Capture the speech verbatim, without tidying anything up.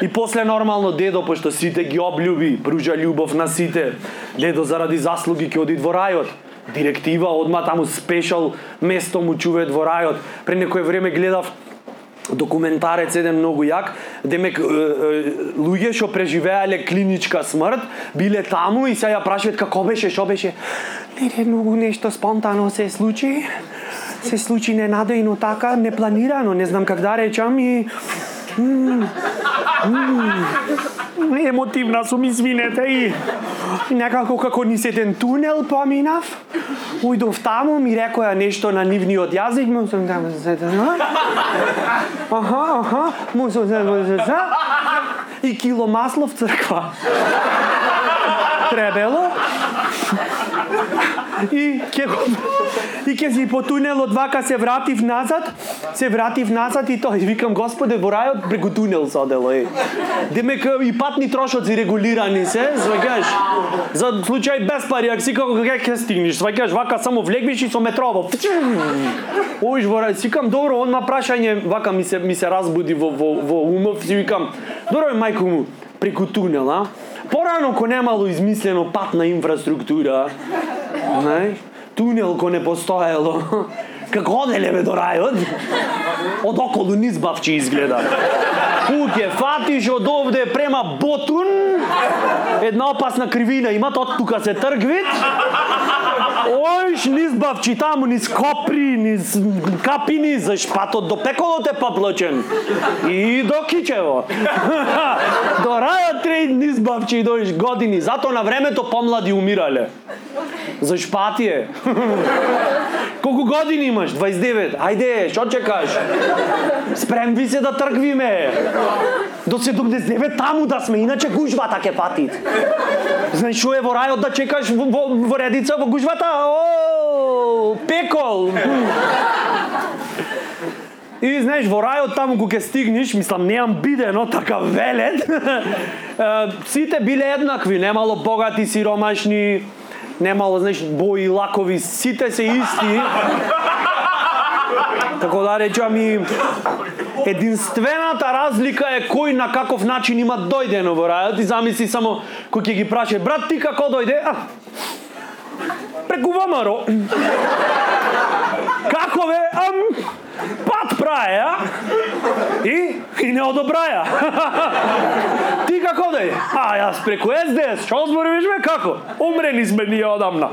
И после нормално дедо, пошто сите ги облюби, пружа љубов на сите. Дедо заради заслуги ќе оди во рајот. Директива, одма таму спешал место му чуве во рајот. Пред некој време гледав документарец еден многу јак, демек луѓе што преживеале клиничка смрт, биле таму и се ја прашаат како беше, што беше. Не, не, многу нешто спонтано се случи. Се случи ненадејно така, непланирано, не знам как да речам и Mm. Mm. Емотивна сум, извинете, и некако како низ еден тунел поминав. Ујдов таму, ми рекоја нешто на нивниот јазик, му сум таму, аха, аха, му сум и кило масло в црква. Требело. И ке го и ке си по тунелот вака се вратив назад, се вратив назад и тој викам Господе во рајот преку тунел се одело е. Демек и патни трошоци регулирани се, сваќаш. За случај без пари, ако си како ќе ќе стигнеш, сваќаш вака само влегвиш и со метрово. Оиш во рај, сикам добро, онма прашање вака ми се ми се разбуди во во во умов, си викам, добро мајко му преку тунел, а? Порано ко немало измислено патна инфраструктура, не? Тунел ко не постоело, како оделе бе до рајот, од околу низ Бавчи изгледа. Куќе фатиш од овде према Ботун, една опасна кривина имат, од тука се тргвит, оиш низ Бавчи, таму низ Копри, низ Капини, за шпатот до пеколот е поплачен. И до Кичево. До рајот трейд низ Бавчи и доиш години, зато на времето помлади умирале. За шпатие. Колку години имаш? дваесет и девет. Ајде, што чекаш? Спремви се да тргвиме. До седумдесет и девет таму да сме, иначе гужвата ке патит. Знаеш што е во рајот да чекаш во, во, во редица во гужвата? О, пекол. И знаеш, во рајот таму кога ќе стигнеш, мислам, неам бидено, така велет, сите биле еднакви, немало богати, сиромашни, немало, знаеш, бои, лакови, сите се исти. Така да речам и единствената разлика е кој на каков начин има дојдено во рајот и замисли само кој ќе ги праше, брат, ти како дојде? А, преку ВМРО. Како бе? Ам, пат праја, а? И? И не одобраја. Ти како дојде? А, јас преку ес де ес, што зборуваш бе, како? Умрени сме ние одамна.